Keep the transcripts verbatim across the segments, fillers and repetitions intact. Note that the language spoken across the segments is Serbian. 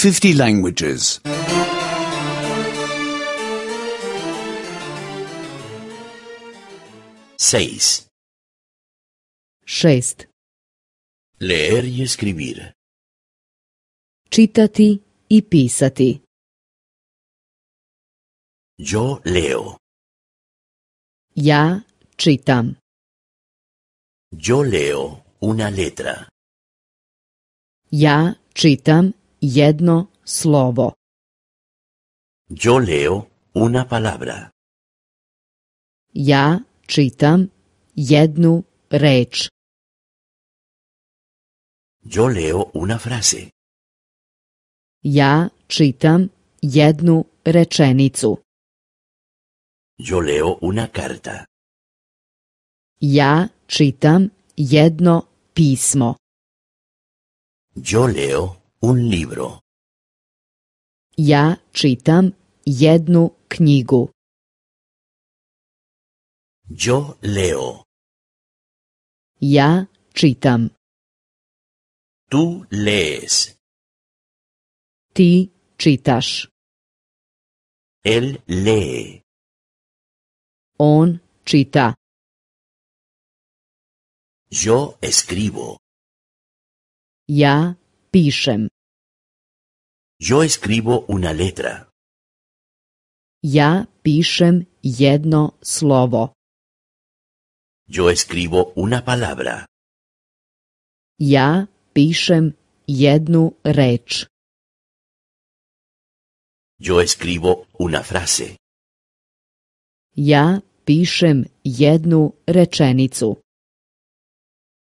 fifty languages. seis. Šest. Leer y escribir. Čitati i pisati. Yo leo. Ja čitam. Yo leo una letra. Ja čitam jedno slovo. Yo leo una palabra. Ja čitam jednu reč. Yo leo una frase. Ja čitam jednu rečenicu. Yo leo una carta. Ja čitam jedno pismo. Yo leo un libro. Ja čitam jednu knjigu. Yo leo. Ja čitam. Tú lees. Ti čitaš. Él lee. On čita. Yo escribo. Ja pišem. Yo escribo una letra. Ja pišem jedno slovo. Yo escribo una palabra. Ja pišem jednu reč. Yo escribo una frase. Ja pišem jednu rečenicu.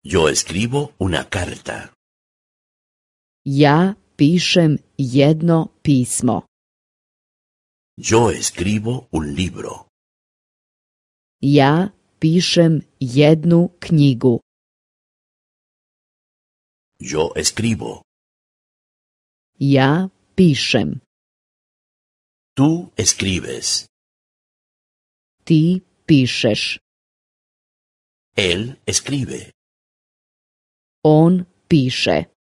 Yo escribo una carta. Ja pišem jedno pismo. Yo escribo un libro. Ja pišem jednu knjigu. Yo escribo. Ja pišem. Tú escribes. Ti pišeš. Él escribe. On piše.